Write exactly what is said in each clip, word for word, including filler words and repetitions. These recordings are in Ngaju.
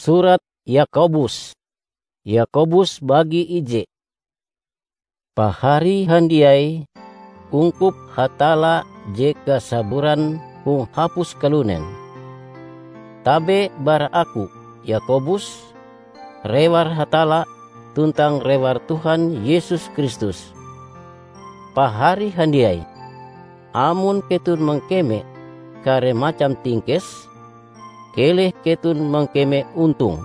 Surat Yakobus. Yakobus bagi ije. Pahari handiai, ungkup Hatalla je kasaburan hong hapus kalunen. Tabe bara aku, Yakobus, rewar Hatalla tuntang rewar Tuhan Yesus Kristus. Pahari handiai, amon keton mangkeme kare macam tingkes, keleh keton mangkeme ontong.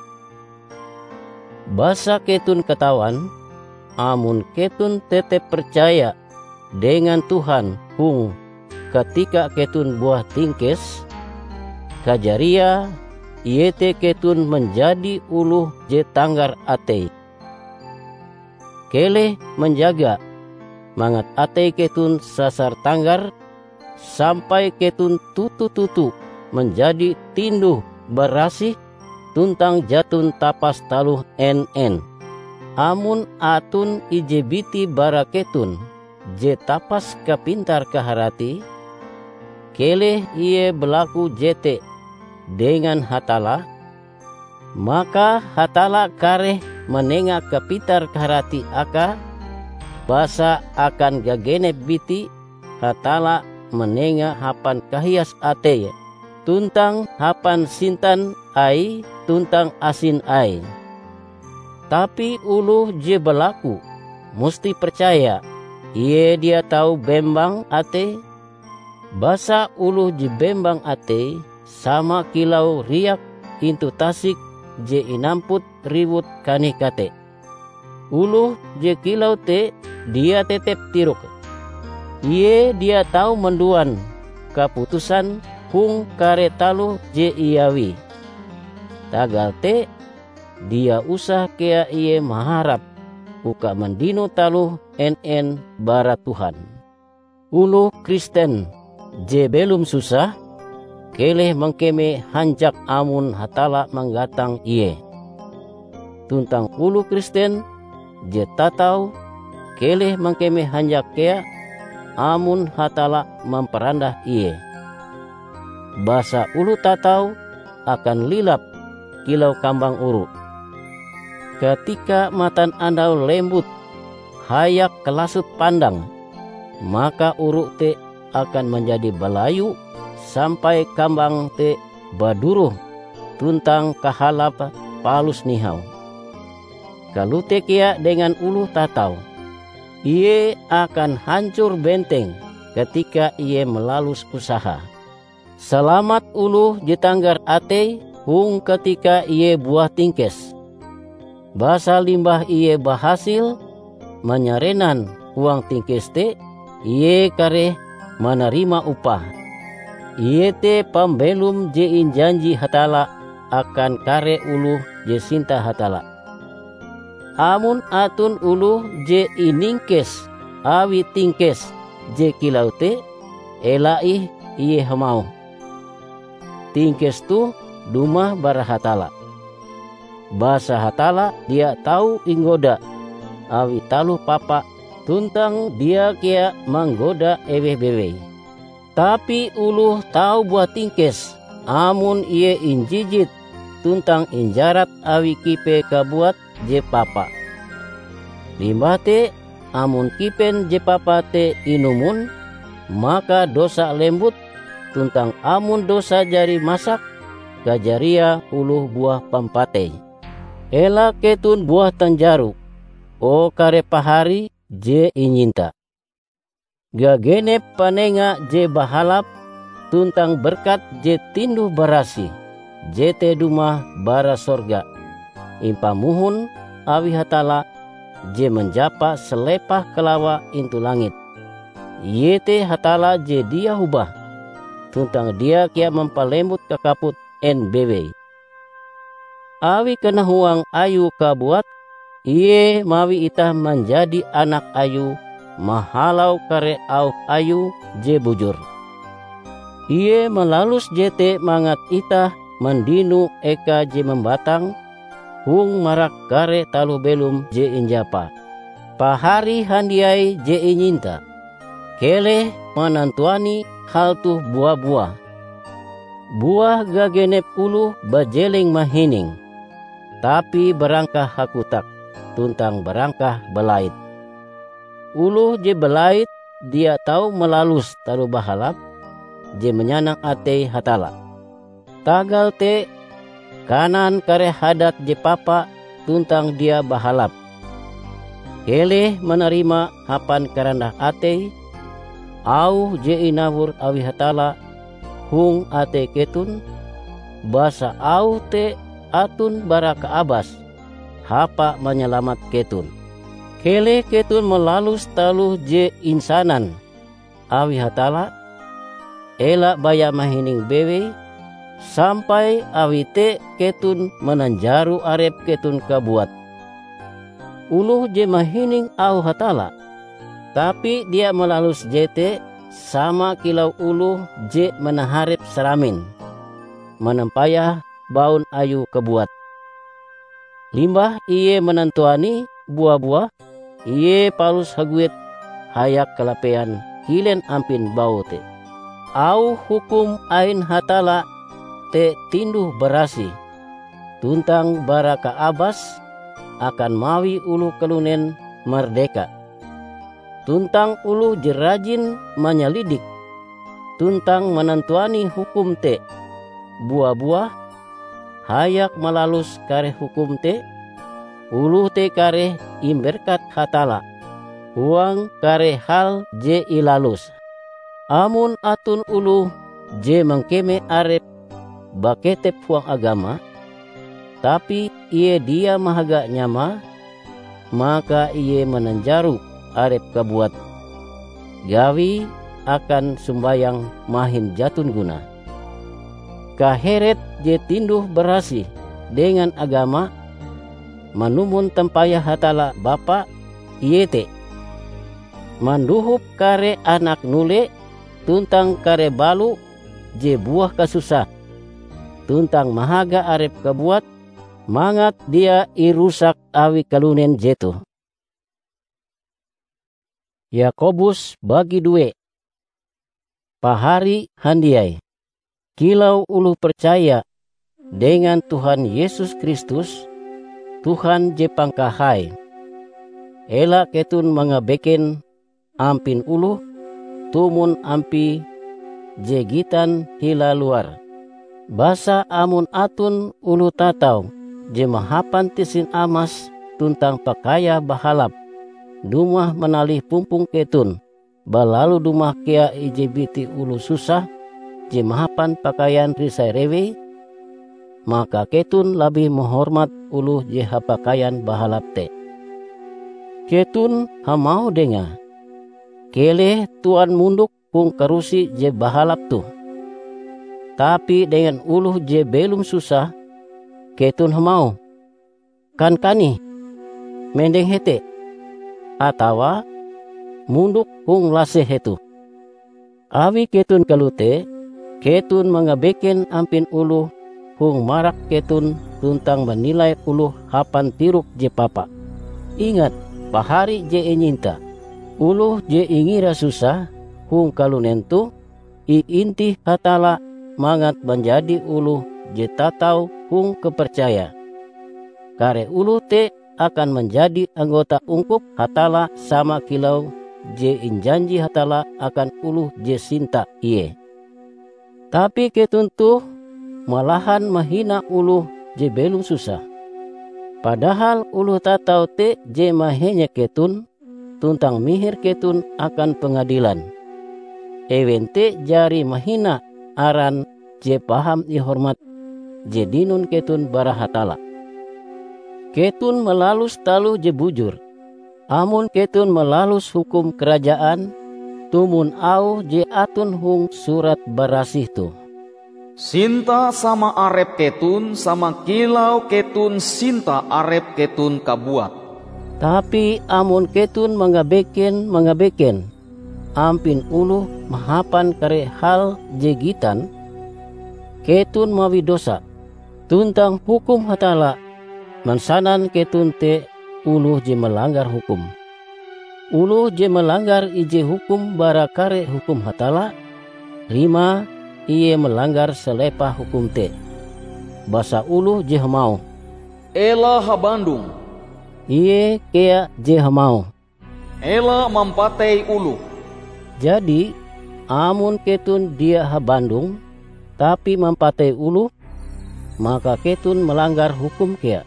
Basa keton katawan, amon keton tetep percaya dengan Tuhan hong katika keton buah tingkes, kajariae iete keton manjadi oloh je tanggar atei. Keleh manjaga mangat atei keton sasar tanggar, sampai keton toto-toto manjadi tinduh-barasih tuntang jaton tapas taloh en-en. Amon aton ije biti bara keton je tapas kapintar-kaharatie, keleh ie balaku jete dengan Hatalla, maka Hatalla kareh manenga kapintar-kaharatie akae, basa akan gagenep biti Hatalla manenga hapan kahias ateie, tuntang hapan sintan Aie tuntang asin Aie. Tapi oloh je balaku musti percaya ie dia tau bembang atei, basa oloh je bembang atei sama kilau riak intu tasik je inamput riwut kanih kate. Oloh je kilau te dia tetep tirok. Ie dia tau manduan kaputusan hong kare taloh je iawie. Tagal te, dia usah kea ie maharap uka mandino taloh en-en bara Tuhan. Oloh Kristen je belom susah, keleh mangkeme hanjak amon Hatalla manggatang ie. Tuntang oloh Kristen je tatau, keleh mangkeme hanjak kea amon Hatalla mamparandah ie. Basa oloh tatau akan lilap kilau kambang oru. Katika matanandau lembut hayak kalasot pandang, maka oru te akan manjadi balayu sampai kambang te baduroh tuntang kahalap palus nihau. Kalote kea dengan oloh tatau. Ie akan hancor benteng katika ie malalus usaha. Salamat oloh je tanggar atei hong katika ie buah tingkes. Basa limbah ie bahasil manyarenan huang tingkes te, ie kareh manarima upah. Iete pambelom je injanji Hatalla akan kare oloh je sinta Hatalla. Amon aton oloh je iningkes awi tingkes je kilau te, ela ih ie hamauh, "Tingkes toh dumah bara Hatalla." Basa Hatalla dia tau inggoda awi taloh papa, tuntang dia kea manggoda eweh bewei. Tapi oloh tau buah tingkes amon ie injijit tuntang injarat awi kipe kabuat je papa. Limbah te, amon kipen je papa te inumon, maka dosa lembut, tuntang amon dosa jari masak, kajariae oloh buah pampatei. Ela keton buah tanjaro, o kare pahari je inyinta. Gagenep panenga je bahalap tuntang berkat je tinduh-barasih, jete dumah bara sorga, impamohon awi Hatalla je manjapa salepah kalawa intu langit. Iete Hatalla je dia hobah, tuntang dia kea mampalembut kakaput en bewei. Awi kanahuang Ayue kabuat, Ie mawi itah manjadi anak Ayue mahalau kare auh Ayue je bujur. Ie malalus jete mangat itah mandino eka je mambatang hong marak kare taloh belom je injapa. Pahari handiai je inyinta, keleh manantuani hal toh bua-buah. Buah gagenep oloh bajeleng mahining. tapi barangkah hakotak tuntang barangkah balait. Oloh je balait dia tau malalus taloh bahalap je manyanang atei Hatalla. Tagal te, kanan kare hadat je papa tuntang dia bahalap. Keleh manarima hapan karandah atei auh je inawor awi Hatalla hong atei keton, basa auh te aton bara kaabas hapa manyalamat keton. Keleh keton malalus taloh je insanan awi Hatalla, ela baya mahining bewei, sampai awi te keton mananjaro arep keton kabuat. Oloh je mahining auh Hatalla, tapi dia malalus jete, sama kilau oloh je manaharep saramin, manampayah baun ayue kabuat. Limbah ie manantuani bua-buah, ie palus haguet hayak kalapean kilen ampin baue te. Auh hukum ain Hatalla te tinduh-barasih, tuntang bara kaabas akan mawi oloh kalunen mardeka. Tuntang oloh je rajin manyalidik tuntang manantuani hukum te, bua-buah hayak malalus kare hukum te, oloh te kareh imberkat Hatalla huang kare hal je ilaluse. Amon aton oloh je mangkeme arepe baketep huang agama, tapi ie dia mahaga nyamae, maka ie mananjaro arepe kabuat gawie akan sombayang mahin jaton gunae. Kaheret je tinduh-barasih dengan agama manumon tampayah Hatalla Bapa, iete: mandohop kare anak nule tuntang kare balo je buah kasusah, tuntang mahaga arepe kabuat mangat dia irusak awi kalunen jetoh. Yakobus bagi due. Pahari handiai, kilau oloh percaya dengan Tuhan Yesus Kristus, Tuhan je pangkahai, ela keton mangabeken ampin oloh tumon ampie je gitan hila luar. Basa amon aton oloh tatau je mahapan tisin amas tuntang pakaiae bahalap dumah manalih pumpong keton, balalu dumah kea ije biti oloh susah je mahapan pakaian risai rewei, maka keton labih mahormat oloh je hapakaian bahalap te. Keton hamauh dengae, "Keleh tuan mondok hong karusi je bahalap toh." Tapi dengan oloh je belom susah, keton hamauh, "Kankane, mendeng hete," atawa "Mondok hong laseh hetoh." Awi keton kalote, keton mangabeken ampin oloh hong marak keton tuntang manilai oloh hapan tirok je papa. Ingat, pahari je inyinta, oloh je ingira susah hong kalunen toh iintih Hatalla mangat manjadi oloh je tatau hong kapercayae. Kare oloh te akan manjadi anggota ungkup Hatalla sama kilau je injanji Hatalla akan oloh je sinta Ie. Tapi keton toh malahan mahina oloh je belom susah. Padahal oloh tatau te je mahenyek keton tuntang mihir keton akan pengadilan. Ewen te jari mahina aran je paham ihormat je dinon keton bara Hatalla. Keton malalus taloh je bujur, amon keton malalus hukum karajaan tumon auh je aton hong Surat Barasih toh. "Sinta sama arep keton sama kilau keton sinta arep keton kabuat." Tapi amon keton mangabeken-mangabeken ampin oloh mahapan kare hal je gitan, keton mawi dosa, tuntang hukum Hatalla mansanan keton te oloh je malanggar hukum. Oloh je malanggar ije hukum bara kare hukum Hatalla, rimae ie malanggar salepah hukum te. Basa oloh je hamauh, "Ela habandong." Ie kea je hamauh, "Ela mampatei oloh." Jadi, amon keton dia habandong, tapi mampatei oloh, maka keton malanggar hukum kea.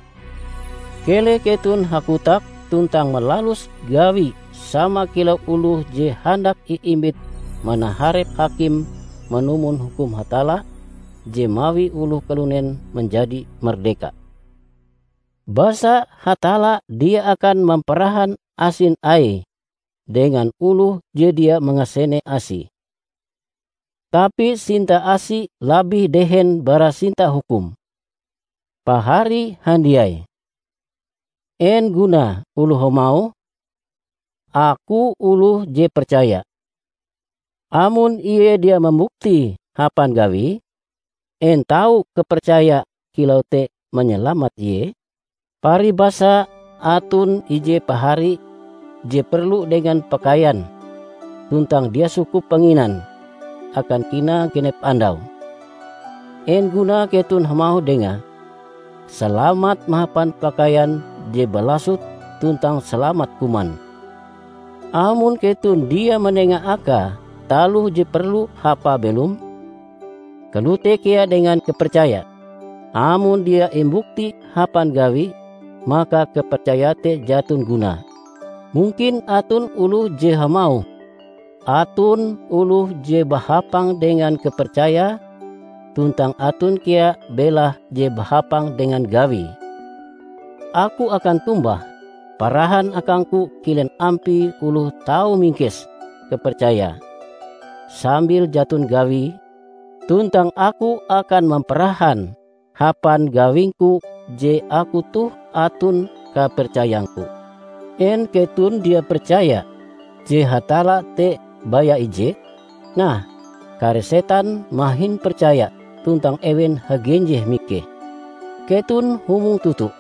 Keleh keton hakotak tuntang malalus gawi sama kilau oloh je handak iimbit manaharep hakim manumon hukum Hatalla je mawi oloh kalunen manjadi mardeka. Basa Hatalla dia akan mamparahan asin Aie dengan oloh je dia mangasene asie. Tapi sinta asie labih dehen bara sinta hukum. Pahari handiai! En gunae oloh hamauh, "Aku oloh je percaya," amon ie dia mambuktie hapan gawie? En tau kapercaya kilau te manyalamat ie? Paribasa aton ije pahari je perlu dengan pakaian, tuntang dia sukup panginan akan kinae genep andau. En gunae keton hamauh dengae, "Salamat mahapan pakaian je balasot tuntang salamat kuman," amon keton dia manenga akae taloh je perlu hapae belom? Kalote kea dengan kapercaya, amon dia imbukti hapan gawie, maka kapercayae te jaton gunae. Mungkin aton oloh je hamauh, "Aton oloh je bahapang dengan kapercayae, tuntang aton kea belahe je bahapang dengan gawie." Aku akan tombah, parahan akangku kilen ampie oloh tau mingkes kapercayae sambil jaton gawie, tuntang aku akan mamparahan hapan gawingku je aku toh aton kapercayangku. En keton dia percaya je Hatalla te baya ije? Nah, kare setan mahin percaya tuntang ewen hagenjeh mikeh. Keton humong toto!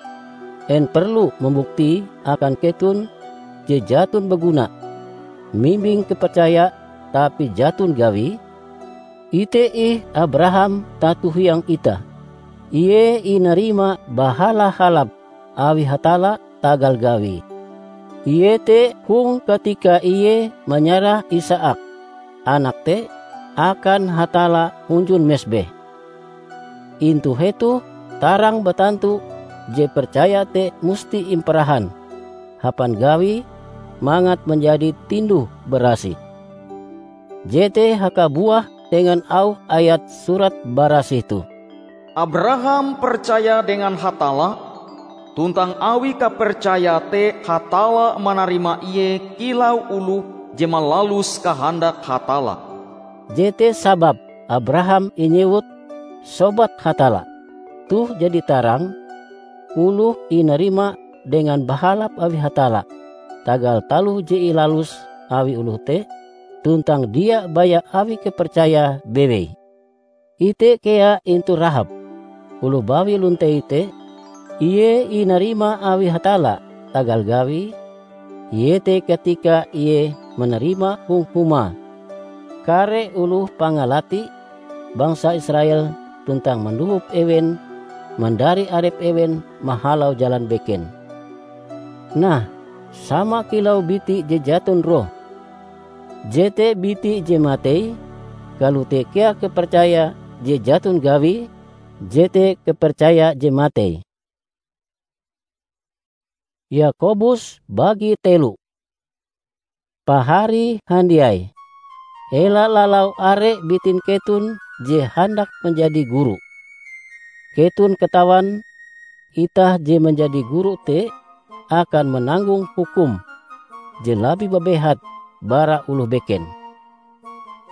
En perlu mambuktie akan keton je jaton baguna mimbing kapercaya tapi jaton gawie? Ite ih Abraham tato hiang itah. Ie inarima bahala-halap awi Hatalla tagal gawie, iete hong katika ie manyarah Isaak, anak te, akan Hatalla hunjun mesbeh. Intu hetoh tarang batantu je percaya te musti imparahan hapan gawie mangat manjadi tinduh-barasih. Jete hakabuah dengan auh ayat Surat Barasih toh, "Abraham percaya dengan Hatalla, tuntang awi kapercayae te Hatalla manarima ie kilau oloh je malalus kahandak Hatalla." Jete sababe Abraham inyewut "sobat Hatalla". Toh jadi tarang, oloh inarima dengan bahalap awi Hatalla tagal taloh je ilalus awi oloh te, tuntang dia baya awi kapercayae bewei. Ite kea intu Rahab, oloh bawi lontei te, ie inarima awi Hatalla tagal gawie, iete katika ie manarima hong humae kare oloh pangalati bangsa Israel tuntang mandohop ewen mandari arep ewen mahalau jalan beken. Nah, sama kilau biti je jaton roh, jete biti je matei, kalote kea kapercaya je jaton gawie, jete kapercaya je matei. Yakobus bagi telo. Pahari handiai, ela lalau are bitin keton je handak manjadi guru. Keton katawan, itah je manjadi guru te akan mananggong hukum je labih babehat bara oloh beken.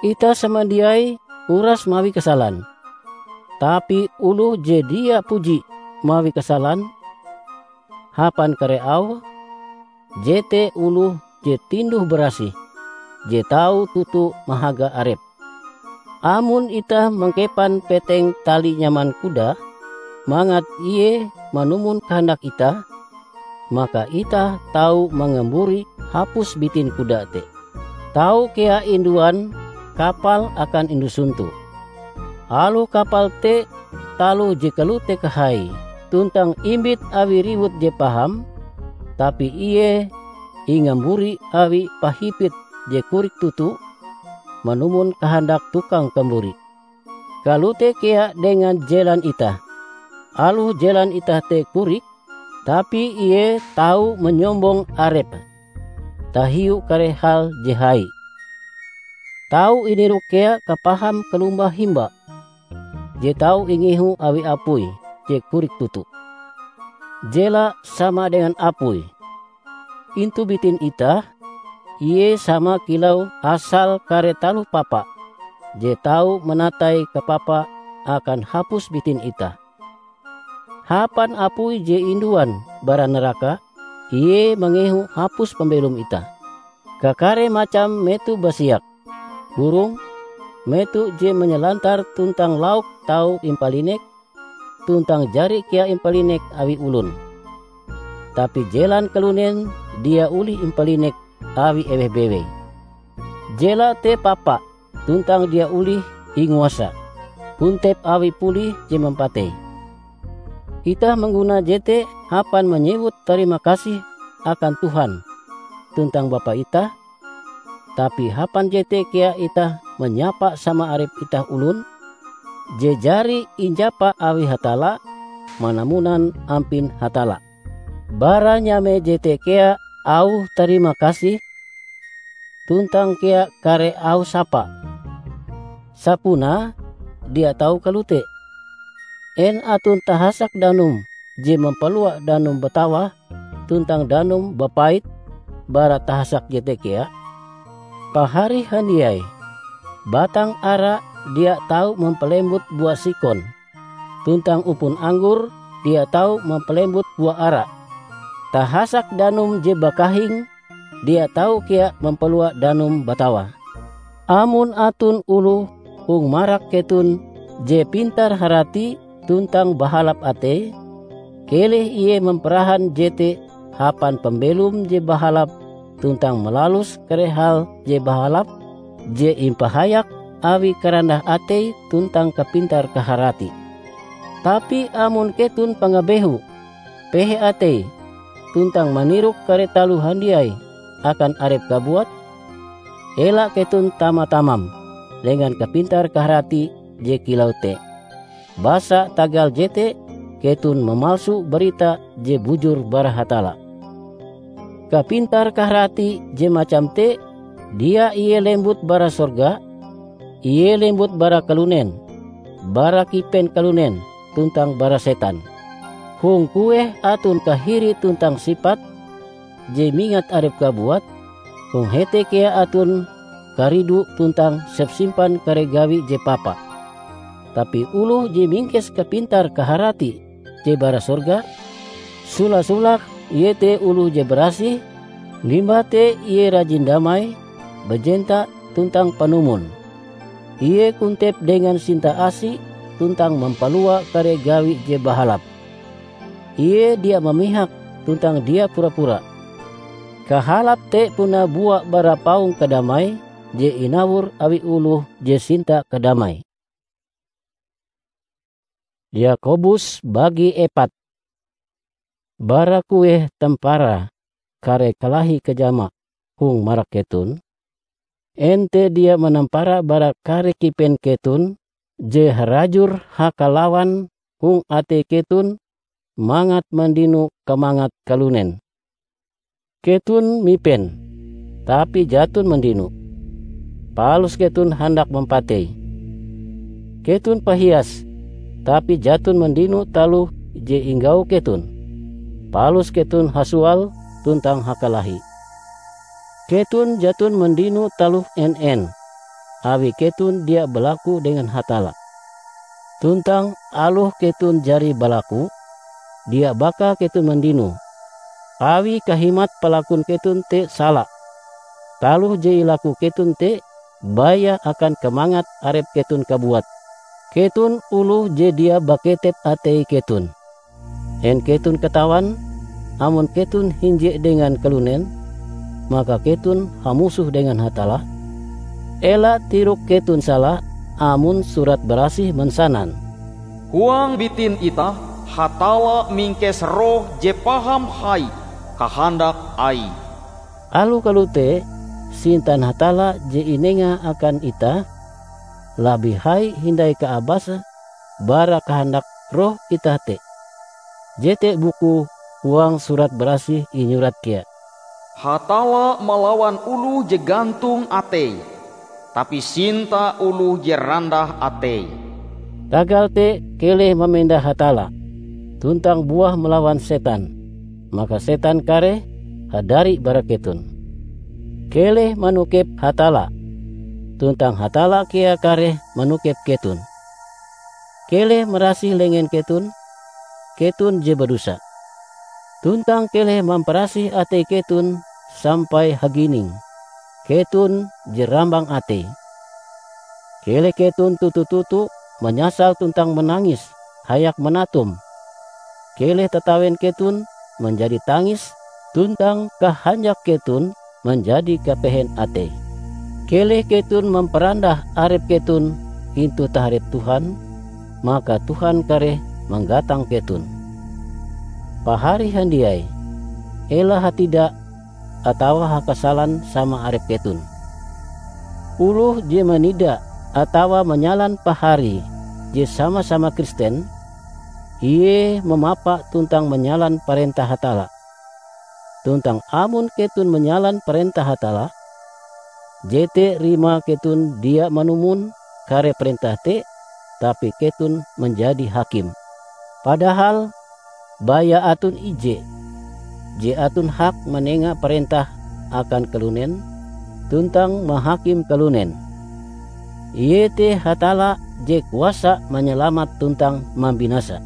Itah samandiai uras mawi kasalan, tapi oloh je dia puji mawi kasalan hapan kare auhe, jete oloh je tinduh-barasih, je tau toto mahaga arepe. Amon itah mangkepan peteng tali nyaman kuda mangat ie manumon kahandak itah, maka itah tau mangamburi hapus bitin kuda te. Tau kea induan kapal akan indusuntu. Aloh kapal te taloh je kalote kahaie, tuntang imbit awi riwut je paham, tapi ie ingamburi awi pahipit je korik toto manumon kahandak tukang kamburi. Kalote kea dengan jelan itah. Aloh jelan itah te korik, tapi ie tau manyombong arepe tahiu kare hal je hai. Tau inirok kea kapaham kalombah himba je tau ingehu awi apui je korik toto. Jela sama dengan apui. Intu bitin itah, ie sama kilau asal kare taloh papa je tau manatai kapapa akan hapus bitin itah. Hapan apui je induan bara naraka, ie mangehu hapus pambelom itah. Kakare macam meto basiak, burong, meto je manyalantar tuntang lauk tau impalinek, tuntang jari kea impalinek awi olon. Tapi jelan kalunen dia olih impalinek awi eweh bewei. Jela te papa, tuntang dia olih inguasa, kontep awi pulie je mampatei. Itah mangguna jete hapan manyewut tarima kasih akan Tuhan tuntang Bapa itah, tapi hapan jete kea itah manyapa sama arep itah olon je jari injapa awi Hatalla manamunan ampin Hatalla. Bara nyame jete kea auh tarima kasih, tuntang kea kare auh sapa. Sapunae dia tau kalote. En aton tahasak danum je mampalua danum batawah tuntang danum bapait bara tahasak jete kea? Pahari handiai, batang ara dia tau mampalembut bua sikon, tuntang upon anggor dia tau mampalembut bua ara. Tahasak danum je bakahing dia tau kea mampalua danum batawah. Amon aton oloh hong marak keton je pintar-harati tuntang bahalap atei, keleh ie mamparahan jete hapan pambelom je bahalap tuntang malalus kare hal je bahalap je impahayak awi karandah atei tuntang kapintar-kaharati. Tapi amon keton pangabehu, pehe atei, tuntang manirok kare taloh handiai akan arep kabuat, ela keton tama-tamam dengan kapintar-kaharati je kilau te. Basa tagal jete keton mamalsu barita je bujur bara Hatalla. Kapintar-kaharati je macam te dia ie lembut bara sorga, ie lembut bara kalunen, bara kipen kalunen tuntang bara setan. Hong kueh aton kahiri tuntang sipat je mingat arep kabuat, hong hete kea aton karidu tuntang sepsimpan kare gawi je papa. Tapi oloh je mingkes kapintar-kaharati je bara sorga, sola-solake iete oloh je barasih, limbah te ie rajin damai, bajenta tuntang panumon. Ie kontep dengan sinta-asi tuntang mampalua kare gawi je bahalap. Ie dia mamihak tuntang dia pura-pura. Kahalap te puna bua bara paong kadamai je inawor awi oloh je sinta kadamai. Yakobus bagi epat. Bara kueh tamparae kare kalahi kajama hong marak keton? En te dia manampara bara kare kipen keton je harajur hakalawan hong atei keton mangat mandino kamangat kalunen? Keton mipen, tapi jaton mandino, palus keton handak mampatei. Keton pahias, tapi jaton mandino taloh je inggau keton, palus keton hasual tuntang hakalahi. Keton jaton mandino taloh en-en, awi keton dia balaku dengan Hatalla. Tuntang aloh keton jari balaku, dia baka keton mandino, awi kahimat palakun keton te sala. Taloh je ilaku keton te baya akan kamangat arep keton kabuat. Keton oloh je dia baketep atei keton. En keton katawan, amon keton hinje dengan kalunen, maka keton hamusoh dengan Hatalla? Ela tirok keton sala amon Surat Barasih mansanan, "Huang bitin itah Hatalla mingkes roh je paham hai kahandak Aie. Aloh kalote, sintan Hatalla je inenga akan itah, labih hai hindai kaabase bara kahandak roh itah te. Jete bukue huang Surat Barasih inyurat kea, "Hatalla malawan oloh je gantong ateie, tapi sinta oloh je randah ateie." Tagal te, keleh mamenda Hatalla, tuntang buah malawan setan, maka setan kareh hadari bara keton. Keleh manokep Hatalla, tuntang Hatalla kea kareh manokep keton. Keleh marasih lengen keton, keton je badosa. Tuntang keleh mamparasih atei keton sampai hagining, keton je rambang atei. Keleh keton toto-toto manyasal tuntang manangis hayak manatum. Keleh tatawen keton manjadi tangis, tuntang kahanjak keton manjadi kapehen atei. Keleh keton mamparandah arep keton intu taharep Tuhan, maka Tuhan kareh manggatang keton. Pahari handiai, ela hatida atawa hakasalan sama arep keton. Oloh je manida atawa manyalan pahari je sama-sama Kristen, ie mamapa tuntang manyalan parentah Hatalla. Tuntang amon keton manyalan parentah Hatalla, jete rimae keton dia manumon kare parentah te, tapi keton manjadi hakim. Padahal baya aton ije je aton hak manenga parentah akan kalunen tuntang mahakim kalunen, iete Hatalla je kuasa manyalamat tuntang mambinasa.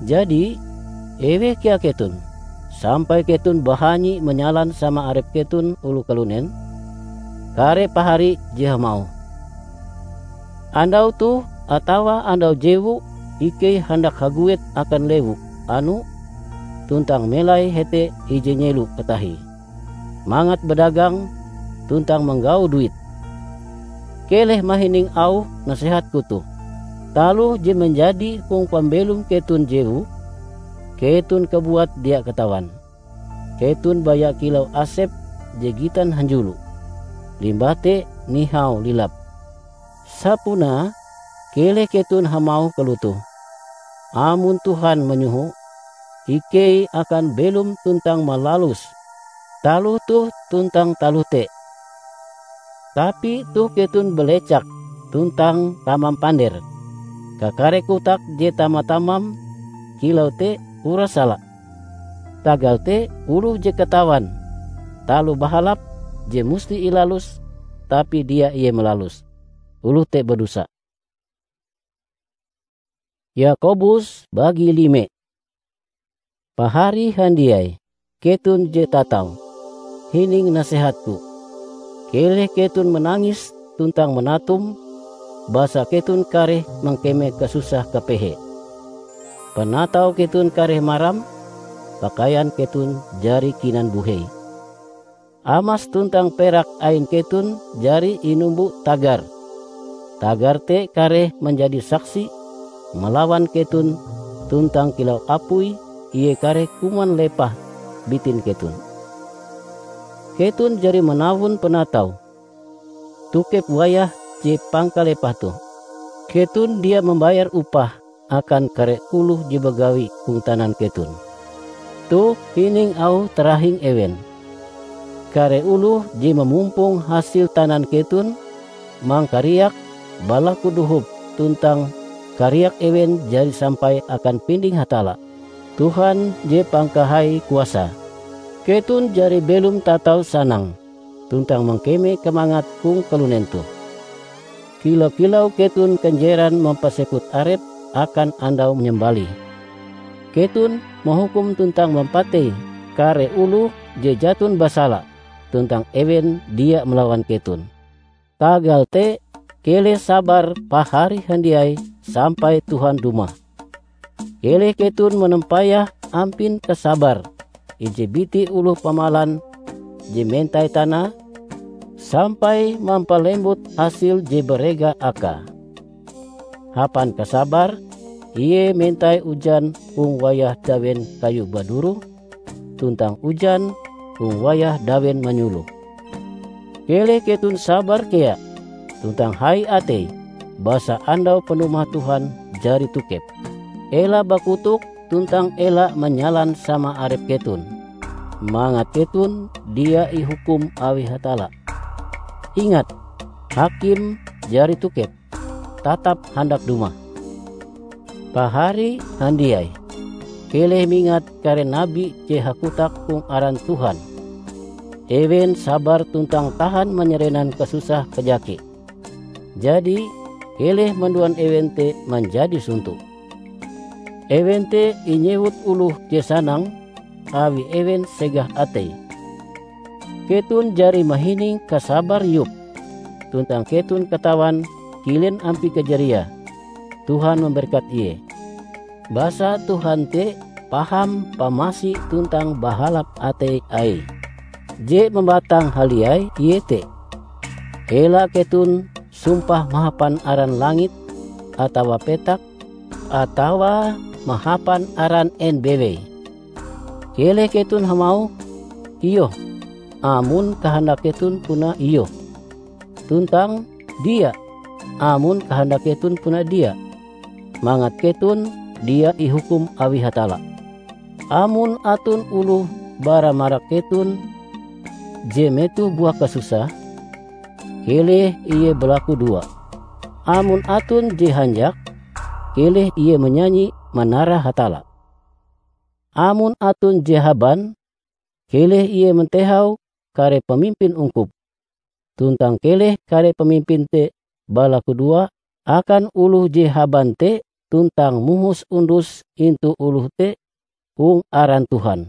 Jadi, eweh kea keton, sampai keton bahanyi manyalan sama arep keton oloh kalunen? Kare pahari je hamauh, "Andau toh atawa andau jewu ikei handak haguet akan lewu anu tuntang melai hete ije nyelo katahie, mangat badagang tuntang manggau duit." Keleh mahining auh nasehatku toh. Taloh je manjadi hong pambelom keton jewu, keton kabuat dia katawan. Keton baya kilau asep je gitan hanjulo, limbah te nihau lilap. Sapunae, keleh keton hamauh kalotoh, "Amon Tuhan manyoho, ikei akan belom tuntang malalus taloh toh tuntang taloh te." Tapi toh keton balecak tuntang tamam pander. Kakare kotak je tama-tamam kilau te uras sala. Tagal te oloh je katawan taloh bahalap je musti ilaluse, tapi dia ie malaluse, oloh te badosa. Yakobus bagi lime. Pahari handiai, keton je tatau, hining nasehatku. Keleh keton manangis tuntang manatum, basa keton kareh mangkeme kasusah kapehe. Panatau keton kareh maram, pakaian keton jari kinan buhei. Amas tuntang perak ain keton jari inumbo tagar. Tagar te kareh manjadi saksi malawan keton, tuntang kilau apui ie kareh kuman lepah bitin keton. Keton jari manawon panatau tokep wayah je pangkalepah toh. Keton dia mambayar upah akan kare oloh je bagawi hong tanan keton. Toh hining auh tarahing ewen. Kare oloh je mamumpong hasil tanan keton mangkariak balaku dohop tuntang kariak ewen jari sampai akan pinding Hatalla, Tuhan je pangkahai kuasae. Keton jari belom tatau sanang tuntang mangkeme kamangat hong kalunen toh. Kilau-kilau keton kanjeran mampasekut arep akan andau manyambalih. Keton mahukum tuntang mampatei kare oloh je jaton basala, tuntang ewen dia malawan keton. Tagal te, keleh sabar pahari handiai sampai Tuhan dumah. Keleh keton manampayah ampin kasabar ije biti oloh pamalan je mentai tanae, sampai mampalembut hasil je barega akae. Hapan kasabar, Ie mentai ujan hong wayah dawen kayu baduroh, tuntang ujan hong wayah dawen manyuloh. Keleh keton sabar kea, tuntang hai atei, basa andau panumah Tuhan jari tokep. Ela bakotok tuntang ela manyalan sama arep keton, mangat keton dia ihukum awi Hatalla. Ingat, hakim jari tokep, tatap handak dumah. Pahari handiai, keleh mingat kare nabi je hakotak hong aran Tuhan. Ewen sabar tuntang tahan manyarenan kasusah kajake. Jadi, keleh manduan ewen te manjadi sonto. Ewen te inyewut oloh je sanang, awi ewen segah atei. Keton jari mahining kasabar Yob, tuntang keton katawan kilen ampie kajariae. Tuhan mamberkat ie. Basa Tuhan te paham pamasi tuntang bahalap atei Aie. Je mambatang haliai iete: ela keton sumpah mahapan aran langit atawa petak, atawa mahapan aran en bewei. Keleh keton hamauh "Iyoh" amon kahandak keton puna iyoh, tuntang "Dia" amon kahandak keton puna dia, mangat keton dia ihukum awi Hatalla. Amon aton oloh bara marak keton je metoh buah kasusah, keleh ie balakudoa. Amon aton je hanjak, keleh ie manyanyi manara Hatalla. Amon aton je haban, keleh ie mantehau kare pamimpin ungkup, tuntang keleh kare pamimpin te balakudoa akan oloh je haban te tuntang mohos ondos intu oloh te hong aran Tuhan.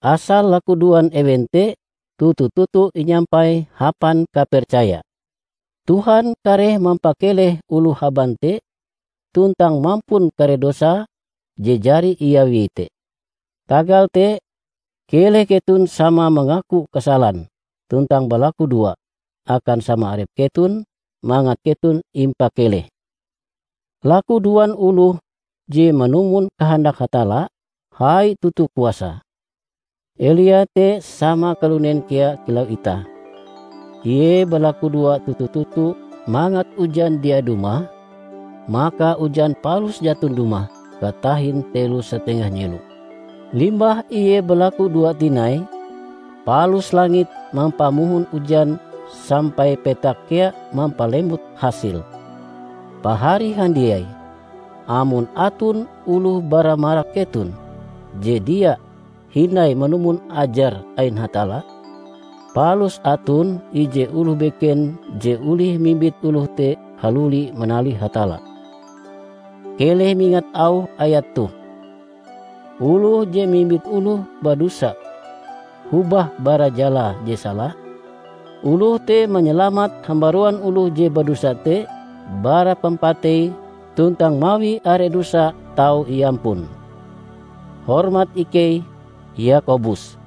Asal lakudoan ewen te toto-toto inyampai hapan kapercaya. Tuhan kareh mampakeleh oloh haban te tuntang mampun kare dosa je jari iawie te. Tagal te, keleh keton sama mangaku kasalan tuntang balakudoa akan sama arep keton mangat keton impakeleh. Lakudoan oloh je manumon kahandak Hatalla hai toto kuasa. Elia te sama kalunen kea kilau itah. Ie balakudoa toto-toto mangat ujan dia dumah, maka ujan palus jaton dumah katahin telo satengah nyelo. Limbah ie balakudoa tinai, palus langit mampamohon ujan sampai petak kea mampalembut hasil. Pahari handiai, amon aton oloh bara marak keton je dia hindai manumon ajar ain Hatalla, palus aton ije oloh beken je olih mimbit oloh te haluli manalih Hatalla. Keleh mingat auh ayat toh. Oloh je mimbit oloh badosa hobah bara jalae je sala, oloh te manyalamat hambaruan oloh je badosa te bara pampatei tuntang mawi are dosae tau iampun. Hormat ikei, Yakobus.